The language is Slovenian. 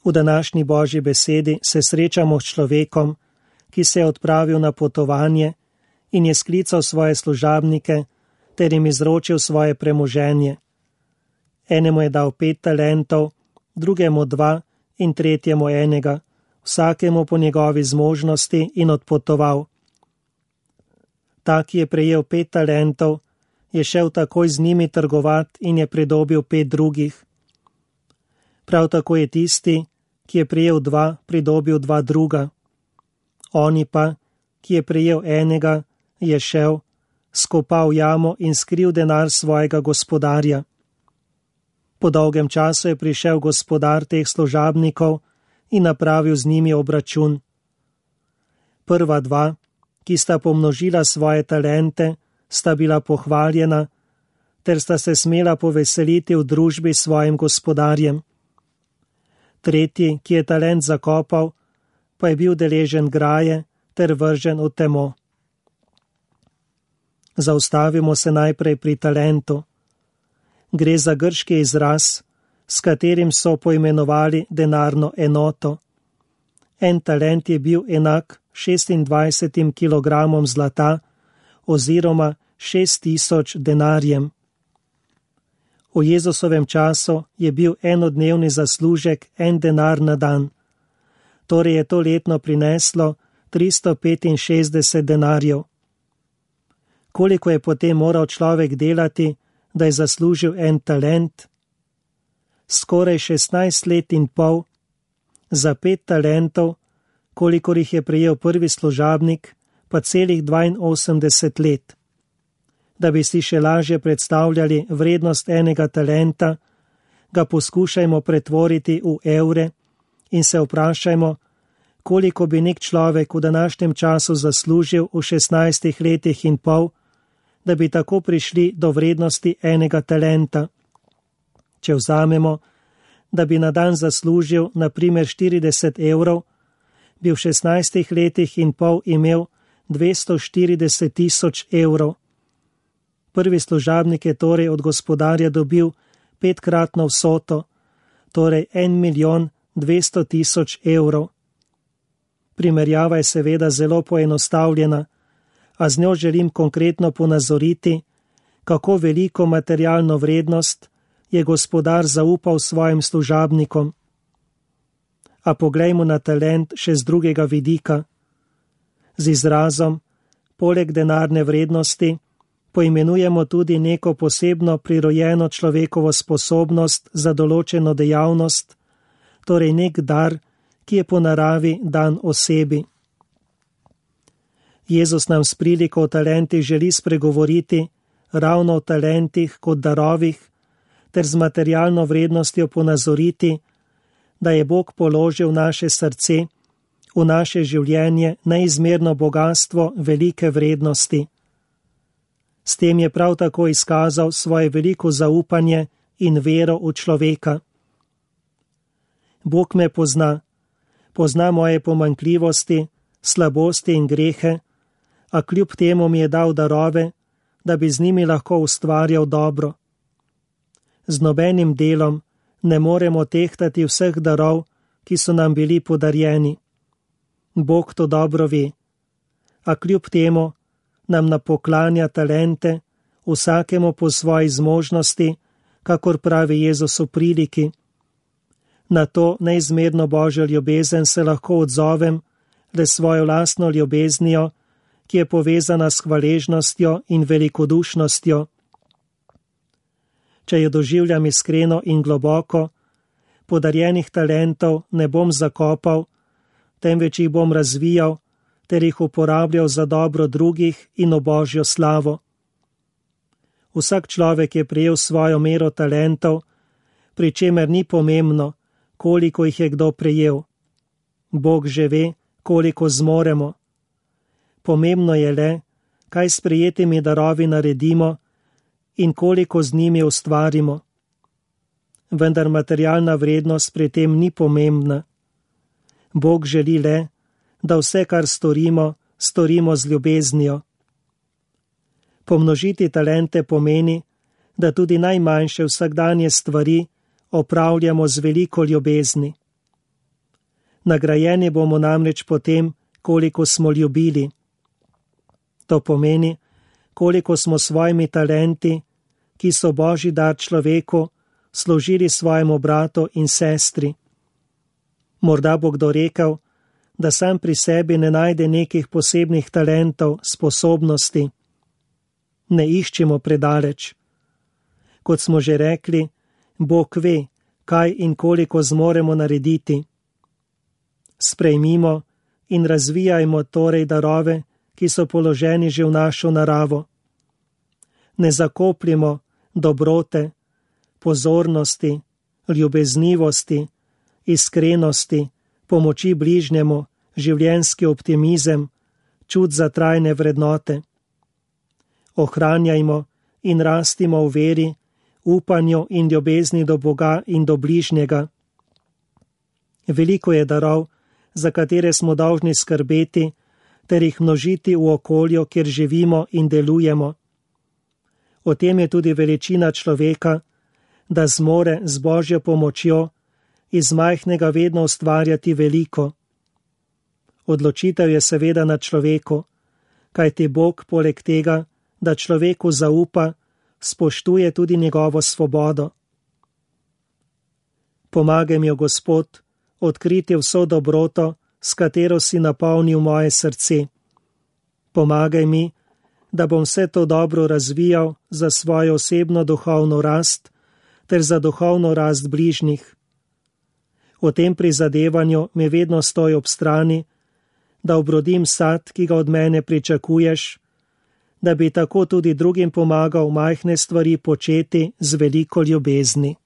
V današnji Božji besedi se srečamo s človekom, ki se je odpravil na potovanje in je sklical svoje služabnike ter jim izročil svoje premoženje. Enemu je dal 5 talentov, drugemu 2 in tretjemu 1, vsakemu po njegovi zmožnosti in odpotoval. Ta, ki je prejel 5 talentov, je šel takoj z njimi trgovat in je pridobil 5 drugih. Prav tako je tisti, ki je prejel 2, pridobil 2 druga. Oni pa, ki je prejel 1, je šel, skopal jamo in skril denar svojega gospodarja. Po dolgem času je prišel gospodar teh služabnikov in napravil z njimi obračun. Prva 2, ki sta pomnožila svoje talente, sta bila pohvaljena, ter sta se smela poveseliti v družbi s svojim gospodarjem. Tretji, ki je talent zakopal, pa je bil deležen graje ter vržen v temo. Zaustavimo se najprej pri talentu. Gre za grški izraz, s katerim so poimenovali denarno enoto. En talent je bil enak 26 kilogramom zlata oziroma 6000 denarjem. V Jezusovem času je bil enodnevni zaslužek 1 denar na dan. Torej je to letno prineslo 365 denarjev. Koliko je potem moral človek delati, da je zaslužil 1 talent? Skoraj 16 let in pol, za 5 talentov, kolikor jih je prejel prvi služabnik, pa celih 82 let. Da bi si še lažje predstavljali vrednost 1 talenta, ga poskušajmo pretvoriti v evre in se vprašajmo, koliko bi nek človek v današnjem času zaslužil v 16 letih in pol, da bi tako prišli do vrednosti 1 talenta. Če vzamemo, da bi na dan zaslužil na primer 40 evrov, bi v 16 letih in pol imel 240 000 evrov. Prvi služabnik je torej od gospodarja dobil 5-kratno vsoto, torej 1 200 000 evrov. Primerjava je seveda zelo poenostavljena, a z njo želim konkretno ponazoriti, kako veliko materialno vrednost je gospodar zaupal svojim služabnikom. A poglejmo na talent še z drugega vidika. Z izrazom, poleg denarne vrednosti, poimenujemo tudi neko posebno prirojeno človekovo sposobnost za določeno dejavnost, torej nek dar, ki je po naravi dan osebi. Jezus nam s priliko o talentih želi spregovoriti ravno o talentih kot darovih, ter z materialno vrednostjo ponazoriti, da je Bog položil v naše srce, v naše življenje neizmerno bogatstvo velike vrednosti. S tem je prav tako izkazal svoje veliko zaupanje in vero v človeka. Bog me pozna moje pomanjkljivosti, slabosti in grehe, a kljub temu mi je dal darove, da bi z njimi lahko ustvarjal dobro. Z nobenim delom ne moremo tehtati vseh darov, ki so nam bili podarjeni. Bog to dobro ve, a kljub temu nam napoklanja talente, vsakemu po svoji zmožnosti, kakor pravi Jezus v priliki. Na to neizmerno Božjo ljubezen se lahko odzovem le svojo lastno ljubeznijo, ki je povezana s hvaležnostjo in velikodušnostjo. Če jo doživljam iskreno in globoko, podarjenih talentov ne bom zakopal, temveč jih bom razvijal ter jih uporabljal za dobro drugih in v Božjo slavo. Vsak človek je prejel svojo mero talentov, pri čemer ni pomembno, koliko jih je kdo prejel. Bog že ve, koliko zmoremo. Pomembno je le, kaj s prejetimi darovi naredimo in koliko z njimi ustvarimo. Vendar materialna vrednost pri tem ni pomembna. Bog želi le, da vse, kar storimo, storimo z ljubeznijo. Pomnožiti talente pomeni, da tudi najmanjše vsakdanje stvari opravljamo z veliko ljubezni. Nagrajeni bomo namreč po tem, koliko smo ljubili. To pomeni, koliko smo svojimi talenti, ki so Božji dar človeku, služili svojemu bratu in sestri. Morda bo kdo rekel, da sam pri sebi ne najde nekih posebnih talentov, sposobnosti. Ne iščemo predaleč. Kot smo že rekli, Bog ve, kaj in koliko zmoremo narediti. Sprejmimo in razvijajmo torej darove, ki so položeni že v našo naravo. Ne zakopljimo dobrote, pozornosti, ljubeznivosti, iskrenosti, pomoči bližnjemu, življenjski optimizem, čut za trajne vrednote. Ohranjajmo in rastimo v veri, upanju in ljubezni do Boga in do bližnjega. Veliko je darov, za katere smo dolžni skrbeti, ter jih množiti v okolju, kjer živimo in delujemo. O tem je tudi veličina človeka, da zmore z Božjo pomočjo iz majhnega vedno ustvarjati veliko. Odločitev je seveda na človeku, kajti Bog poleg tega, da človeku zaupa, spoštuje tudi njegovo svobodo. Pomagaj mi, Gospod, odkriti vso dobroto, s katero si napolnil moje srce. Pomagaj mi, da bom vse to dobro razvijal za svojo osebno duhovno rast ter za duhovno rast bližnjih. V tem prizadevanju mi vedno stoj ob strani, da obrodim sad, ki ga od mene pričakuješ, da bi tako tudi drugim pomagal majhne stvari početi z veliko ljubezni.